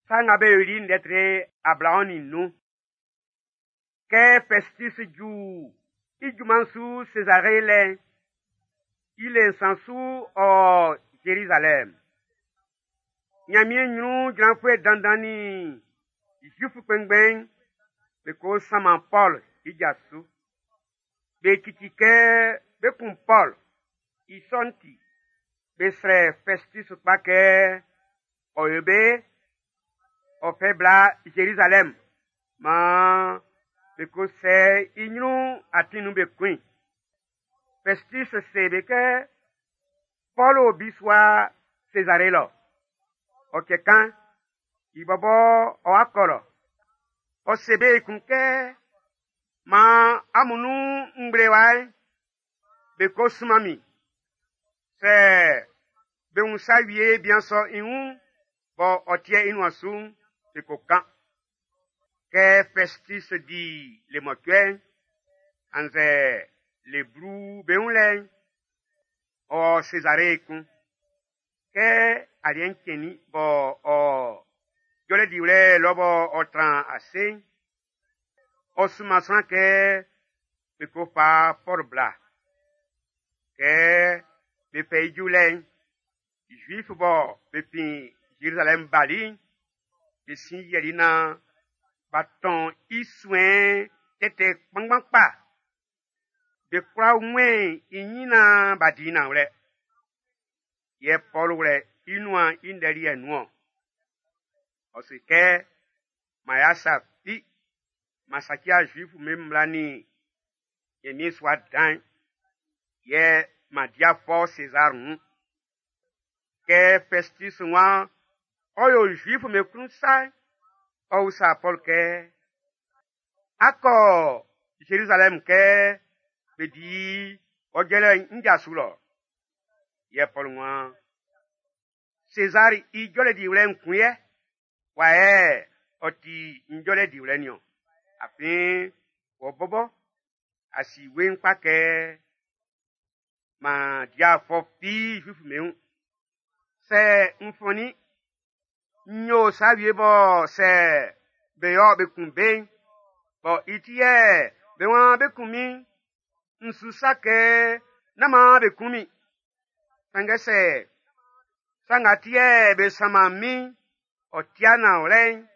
Sa Nga Be Yoli'n ndɛ tre 25. Kɛ Fɛstis ju i junman'n su Sezare lɛ'n, i le nsan su ɔ Zerizalɛm. Nyanmiɛn nyrun jranfuɛ dandan nin Zuif kpɛnngbɛn'n be ko sanman Pɔl i ja su. Be cici kɛ be kun Pɔl, i sɔ'n ti, be srɛ Fɛstis kpa kɛ ɔ yo be ɔ fɛ bla Zerizalɛm man be ko sɛ i nyrun atin nun be kun i. Fɛstis se be kɛ Pɔl o bisua Sezare lɔ. Ɔ cɛ kan, i bɔbɔ ɔ'a kɔ lɔ. Ɔ se be ekun kɛ, man amun nun ngblewa'n be ko sunman min. Sɛ be wun sa wie bian sɔ i wun bɔ ɔ tiɛ i nuan su'n, be ko kan. Kɛ Fɛstis di le mɔcuɛ'n, annzɛ le blu be wun lɛ'n, ɔ Sezare ekun. Kɛ aliɛ'n cɛnnin bɔ ɔ jɔlɛ diwlɛ lɔ bɔ ɔ tran ase'n, ɔ sunman sran kɛ be ko fa Pɔl bla. Kɛ be fɛ i ju lɛ'n, Zuif bɔ be fin Zerizalɛm bali'n, be sin yiali nan b'a tɔn i suɛn tɛtɛ kpanngban kpa. Be kwla wun-mɛn i nyin nan b'a di nanwlɛ. Yɛ Pɔl wlɛ i nuan i ndɛ liɛ'n nun-ɔn. Ɔ se kɛ, man y'a sa fi, man saci'a Zuif'm be mmla nin Nyanmiɛn sua dan'n, yɛ man di fɔ Sezar wun. Kɛ Fɛstis waan ɔ yo Zuif'm be klun sa'n, ɔ usa Pɔl kɛ, a kɔ Zerizalɛm kɛ be di ɔ jɔlɛ'n n ja su lɔ. Yɛ Pɔl waan, Sezar i jɔlɛ diwlɛ'n kun yɛ, wa yɛ ɔ ti n jɔlɛ diwlɛ niɔn. Afin wɔ bɔbɔ a si weiin kpa kɛ man di fɔ fi Zuif'm be wun. Sɛ n fɔnnin, n yo sa wie bɔ sɛ be yɔ be kun be'n, bɔ i ti yɛ be waan be kun min, n su sa kɛ nán man be kun min. Sanngɛ sɛ sa nga ti yɛ be sanman min ɔ tia nanwlɛ'n,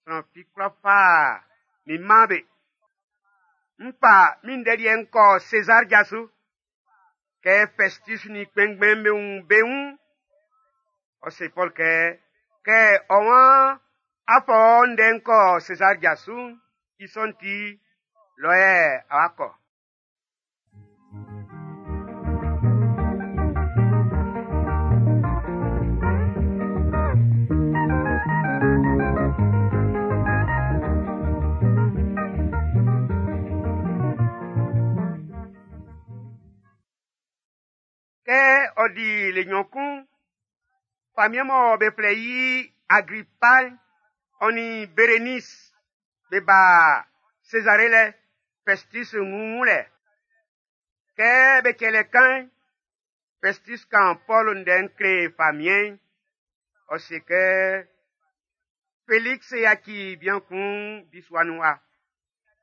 sran fi kwla fa min man be. N fa min ndɛ liɛ'n kɔ Sezar ja su. Kɛ Fɛstis nin kpɛnngbɛn'm be wun be wun, ɔ se Pɔl kɛ, kɛ ɔ waan a fɔ ndɛ'n kɔ Sezar ja su'n, i sɔ'n ti, lɔ yɛ a wa kɔ. Kɛ ɔ di le nnyɔn kun, famiɛn mɔ be flɛ i Agripa'n, ɔ nin Berenice be ba Sezare lɛ, Fɛstis wun lɛ. Kɛ be cɛlɛ kan'n, Fɛstis kan Pɔl ndɛ'n kle famiɛn'n. Ɔ se kɛ, Felix yaci bian kun bisua nun wa.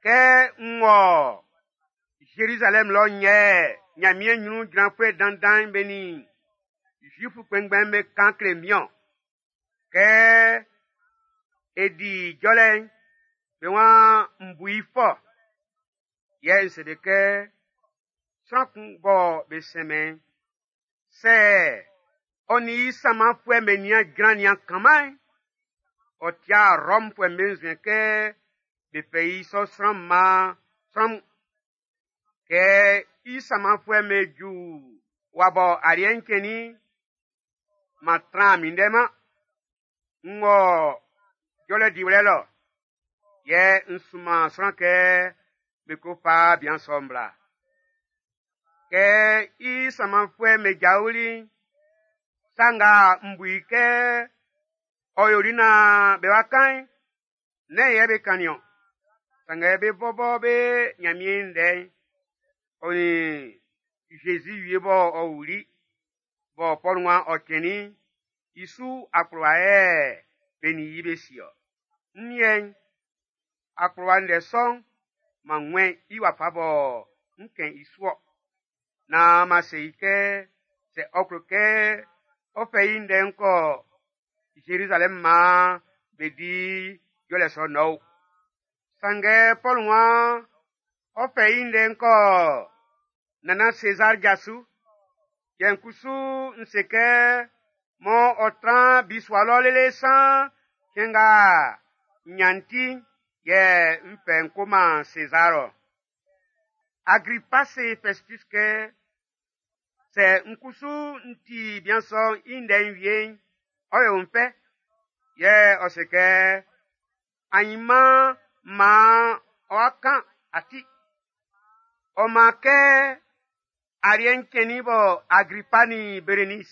Kɛ n wɔ Zerizalɛm lɔ yɛ Nyanmiɛn nyrun jranfuɛ dandan'n be nin Zuif kpɛnngbɛn'm be kan kle min-ɔn. Kɛ e di jɔlɛ'n, be waan n bu i fɔ. Yɛ n se be kɛ, sran kun bɔ be sɛnmɛn, sɛ ɔ nin i sanmanfuɛ'm be nian jran nian kanman'n, ɔ tia Rɔmfuɛ'm be nzuɛn kɛ be fɛ i sɔ sran man sran mun. Kɛ i sanmanfuɛ'm be ju wa bɔ aliɛ'n cɛnnin'n, man tran minndɛ man. N wɔ jɔlɛ diwlɛ lɔ, yɛ n sunman sran kɛ be ko fa bian sɔ'n bla. Kɛ i sanmanfuɛ'm be jaoli'n, sa nga n bu i kɛ ɔ yoli nan be wa kan'n, nɛ́n yɛ be kannin-ɔn. Sanngɛ be bɔbɔ be Nyanmiɛn ndɛ'n, ɔ nin Zezi wie bɔ ɔ wuli, bɔ Pɔl waan ɔ cɛnnin'n, i su akplowa yɛ be be nin i yi be si-ɔ. N liɛ'n, akplowa ndɛ sɔ'n, m'an wun-mɛn i wafa bɔ n ʼkɛn i su-ɔ. Nan m'an se i kɛ sɛ ɔ klo kɛ ɔ fɛ i ndɛ'n kɔ Zerizalɛm man be di jɔlɛ sɔ'n nɔ o. Sanngɛ Pɔl waan ɔ fɛ i ndɛ'n kɔ Nannan Sezar ja su. Yɛ n kusu n se kɛ mɔ ɔ tran bisua lɔ lele san cɛn nga n nyan ti'n yɛ n fɛ n ko man Sezar-ɔ. Agripa se Fɛstis kɛ, Sɛ n kusu n ti bian sɔ'n i ndɛ'n wie'n, ɔ ʼyo n fɛ. Yɛ ɔ se kɛ, Ainman man ɔ'a kan a ti. Ɔ man kɛ aliɛ'n cɛnnin bɔ Agripa nin Berenis,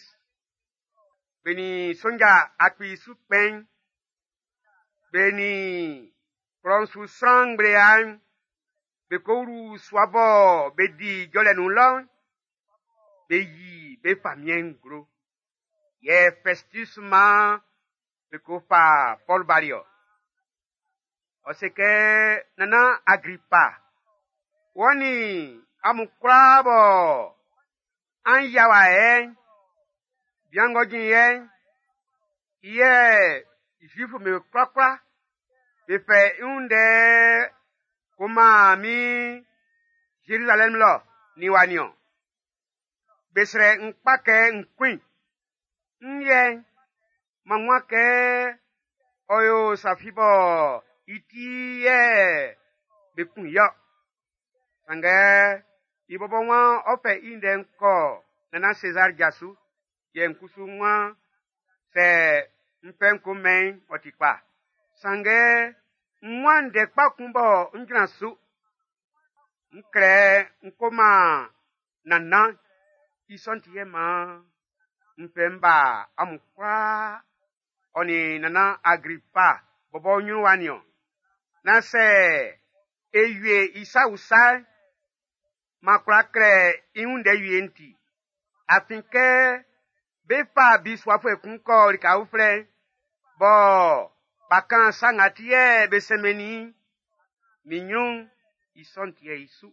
be nin sonja akpi su kpɛn'n, be nin klɔ'n su sran ngblea'n be ko wlu sua bɔ be di jɔlɛ nun lɔ'n, be yi be famiɛn'n nglo. Yɛ Fɛstis man be ko fa Pɔl bali-ɔ. Ɔ se kɛ, Nannan Agripa, wɔ nin amun kwlaa bɔ an yia wa yɛ'n, bian ng'ɔ jin yɛ'n, i yɛ Zuif'm be kwlakwla be fɛ i wun ndɛ ko man min Zerizalɛm lɔ nin wa nin-ɔn. Be srɛ n kpa kɛ n kun i. N liɛ'n, m'an wun kɛ ɔ yo sa fi bɔ i ti yɛ be kun i-ɔ. Sanngɛ i bɔbɔ waan ɔ fɛ i ndɛ'n kɔ Nannan Sezar ja su, yɛ n kusu n waan sɛ n fɛ n ko mɛn i'n, ɔ ti kpa. Sanngɛ n waan ndɛ kpa kun bɔ n jran su. N klɛ n ko man Nannan, i sɔ'n ti yɛ man n fɛ n ba amun kwlaa ɔ nin Nannan Agripa bɔbɔ nyrun wa nin-ɔn. Nan sɛ e wie i sa usa'n, m'an kwla klɛ i wun ndɛ wie'n ti. Afin kɛ be fa bisuafuɛ kun kɔ lika uflɛ'n, bɔ b'a kan sa nga ti yɛ be sɛnmɛnnin i'n, min nyrun'n, i sɔ'n ti'ɛ i su.